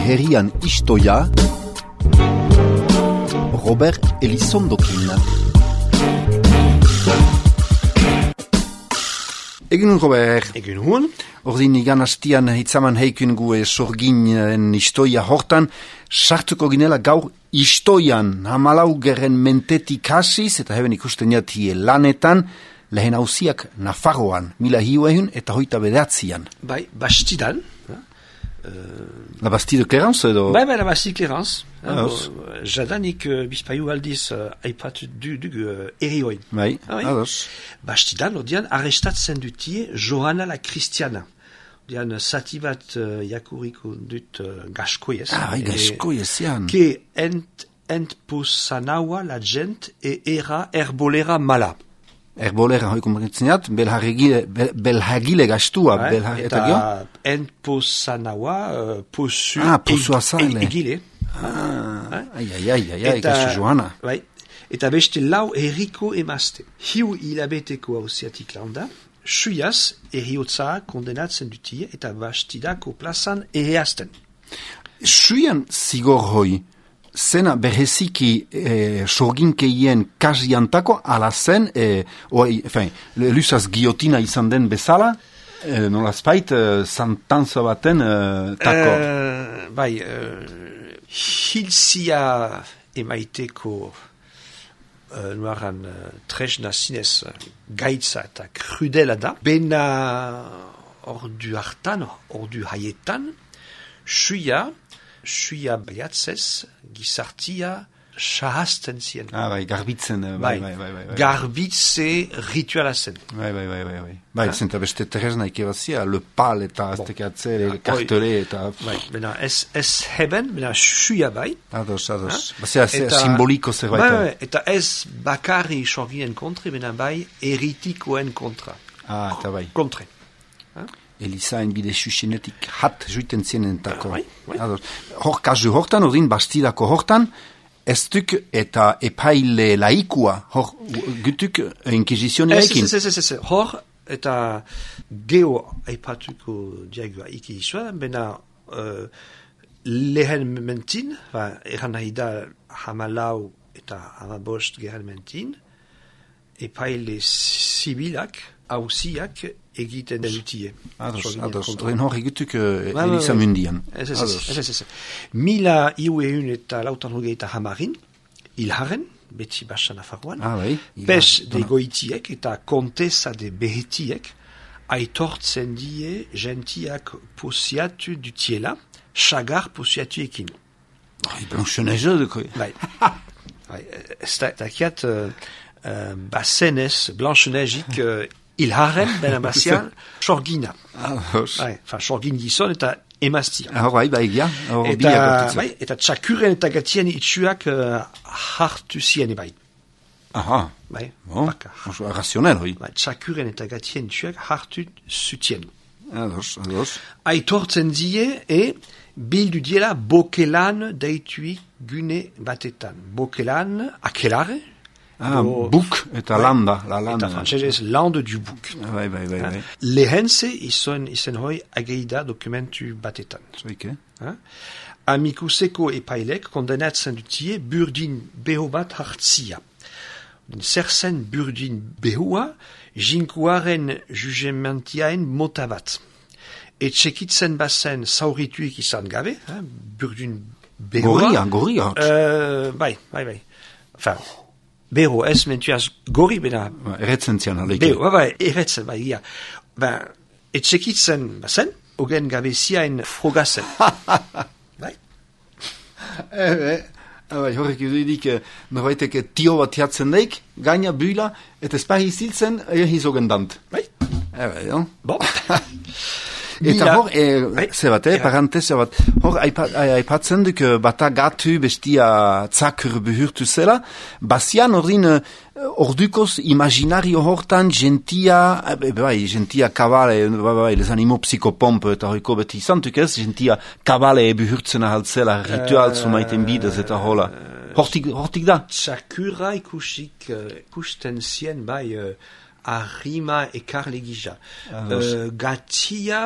herrian istoia, Robert Elizondokin. Egun Robert. Egun hon. Ordin igan hastian hitzaman heikun gue sorginen istoia hortan, sartuko ginela gaur istoian hamalau geren mentetik hasiz, eta heben ikusten jatie lanetan, lehen hausiak Nafarroan, 1900 eta 1929. Bai, Bastidan. La Bastille de Clarence edo? Bai, la Bastille de Clarence. Jadanik bizpaiu aldiz aipatu dugu erioin. Bai, ados. Bastidan, ordean, arrestatzen dutie Johanna la Christiana. Ordean, zati bat jakuriko dut gaskoiez. Bai, gaskoiez, jan. Ke entposanaua la gent era herbolera mala. Herbolera hoi kompretzeniat, belhagile gastua. Eta entposanaua posu egile. Ai, kasu Johanna. Bai, eta beste lau herriko emazte. Hiu hilabeteko hausiatik landa, suiaz eriotza kondenatzen dutie eta Bastidako plazan ereazten. Suian zigor hoi, zena bereziki sorginkeien kasiantako ala zen, lusaz giotina izan den bezala, nolazpait, santanza baten tako. Bai, hilzia emaiteko nuaran tresna zinez gaitza eta krudela da. Bena ordu hartan, ordu haietan, suia baiatzez, gizartia sahazten zien. Bai, garbitzen. Bai. Garbitze rituala zen. Bai, zenta beste tresna ikebazia, le pal eta aztekeatze, kartele eta... Bai, bena ez heben, bena suia bai. Ados. Bazea simboliko zerbait. Bai, eta ez bakarri sorginen kontre, bena bai eritikoen kontra. Eta bai. Kontre. Elizaen bide susenetik hat juiten zienentako. Bai. Hor kasu hortan, ordin Bastidako hortan, ez duk eta epaile laikua, hor gutuk inkizizionerekin. Ez. Hor eta geo aipatuko diagua ikizua, bena lehen mentin, eran nahi da hamalau eta hamabost geren mentin, epaile zibilak, hausiak egiten dutie. Ados. Hor egutuk Eliza mundian. Ez. 1900 eta lautan hogeita hamarin, hilharen, beti basa Nafarroan, pes de goitiek eta kontesa de behetiek, aitortzen die gentiak posiatu dutiela, sagar posiatuekin. Blanche-neige duko. Bai. Ez dakiat basenez Blanche-neigik hilharen, bena bazian, sorgina. Sorgin gizon eta emaztia. Bai, eta txakuren eta gatien itxuak hartu zien bai. Bai, baka. Razionel, hoi. Txakuren eta gatien itxuak hartu zutien. Ados. Aitortzen die, bildu diela bokelan deituik gune batetan. Bokelan, akelare, buk eta landa. Eta frantzesez, lande du buk. Bai. Lehense izen hoi ageida dokumentu batetan. Zoike. Amikuseko epailek kondenatzen dutie burdin beho bat hartzia. Zer zen burdin behoa, jinkuaren jugementiaen mota bat. Etxekitzen bazen zaurituik izan gabe, burdin behoa. Gorria. Bai. Bero, ez mentuaz gori bena... Erretzen zian, aleik. Erretzen, ia. Etxekitzen bazen, ogen gabeziaen frogazen. Bai? Horrek idudik, norbaitek tio bat jatzen daik, gaina büla, eta espahi ziltzen, hizogen dant. Bai? Bon. Eta hor, parantesa bat, hor aipatzen duk bata gatu bestia tzakur behurtu zela, bazian ordin ordukoz imaginario hortan gentia kabale, les animo psikopomp eta hoiko beti izantuk ez, gentia kabale behurtzen ahaltzela, ritual zumaiten bidez eta hola. Hortik da? Txakura ikusten zien bai arrima ekarle gisa. Gatia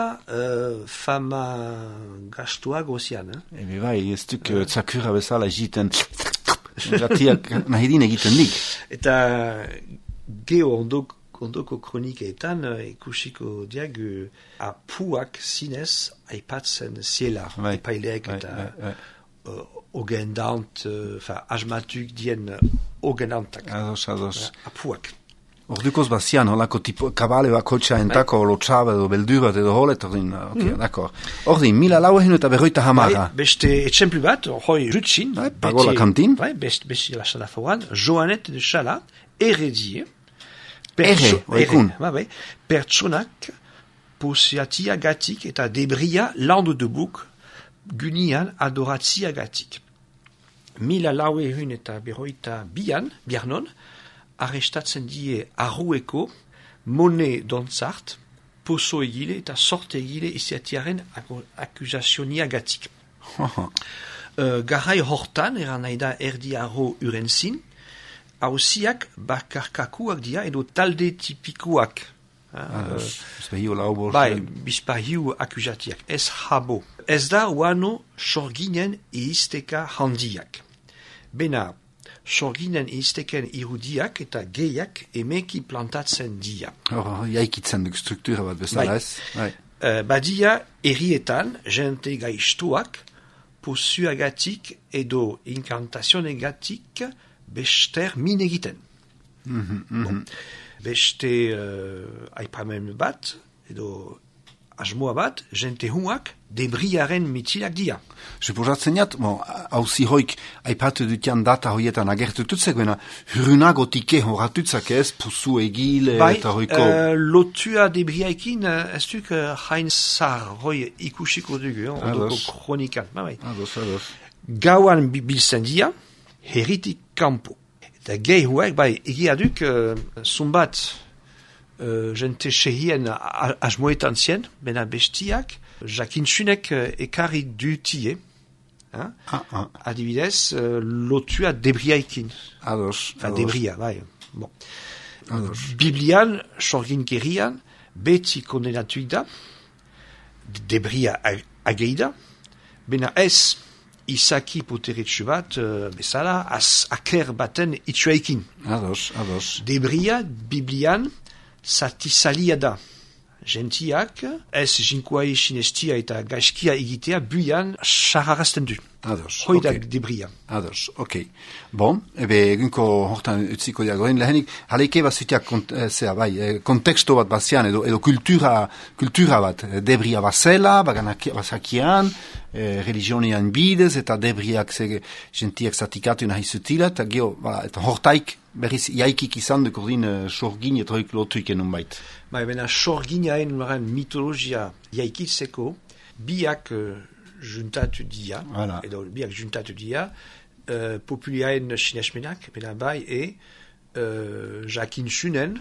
fama gastua gozian. Ebe bai, ez duk tzakurra bezala egiten, gatiak nahidin egiten dik. Eta geho ondoko kronikeetan ikusiko diag apuak zinez aipatzen ziela. Epaileek eta ogendant, asmatuk dien ogendantak. Ados. Apuak. Ordukoz bazian, holako tipo kabale bakotxa entako lotxabe edo beldur bat edo holet, d'accord. Ordin, 1400 eta 50. Beste etxemplu bat, hoi rutzin. Pagola kantin. Beste la sala foran, Joanet de Chala, eredie. Pertsonak posiatia gatik eta debria landu de buk gunian adoratzia gatik. 1400 eta 52 biarnon, arrestatzen die arrueko mone dontzart, poso egile eta sorte egile iziatiaren akuzazionia gatik. Garai hortan, eran nahi da erdi arro urenzin, hausiak bakarkakuak dia edo talde tipikuak. Bizpahiu akuzatiak. Ez habo. Ez da uano sorginen eisteka handiak. Bena, sorginen eisteken irudiak eta gehiak emeki plantatzen dia. Jaikitzen duk struktura bat bezala ez? Badia errietan jente gaiztuak posuagatik edo inkantazionegatik bester min egiten. Beste aipamen bat, edo asmoa bat, jente huak debriaren mitilak dia. Suposatzen jat, hauzi hoik aipatu dutian data hoietan agertututzek, bena hrunagotike horatutzak ez, pusu egile eta hoiko... Lotua debriaikin, ez duk hain zar hoi ikusiko dugu, ondoko kronikan. Ados. Gauan biltzen dia, herritik kampo. Eta gehi huek, egia duk, zumbat jente sehien asmoetan zien, bena bestiak, jakintsunek ekarri dutie, adibidez, lotua debriaikin. Ados. Debria, Bon. Biblian, sorginkerian, beti kondenatuik da, debria ageida, bena ez, izaki poteretsu bat, bezala, aker baten itxuaikin. Ados. Debria, Biblian, satisalia da. Gentiak, ez jinkuai sinestia eta gaizkia egitea, buian xarrarazten du. Ados. Hoi da debria. Ados, ok. Bon, ebe egunko hortan utziko diagoen lehenik, haleike bat zutiak konteksto bat bazian, edo kultura bat, debria bazela, bazakian, religionian bidez, eta debriak gentiak zatikatu nahi zutila, eta geho, eta hortaik, berriz jaikik izan duk ordin sorgin eta hoik lotuik enun bait. Bena sorginaen mitologia jaikitzeko, biak juntatu dia, edo biak juntatu dia, populiaen sinesmenak, bena jakintsunen,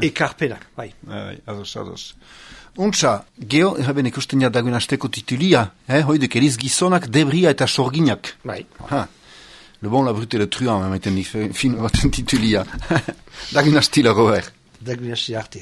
ekarpenak, Ados. Untsa, geho, haben ikusten jadagun asteko titulia, hoiduk eriz gizonak, debria eta sorginak. Le bon, la brute et le truand, même, fin, titulia. Dagun astila, Robert. Dagun astila arte.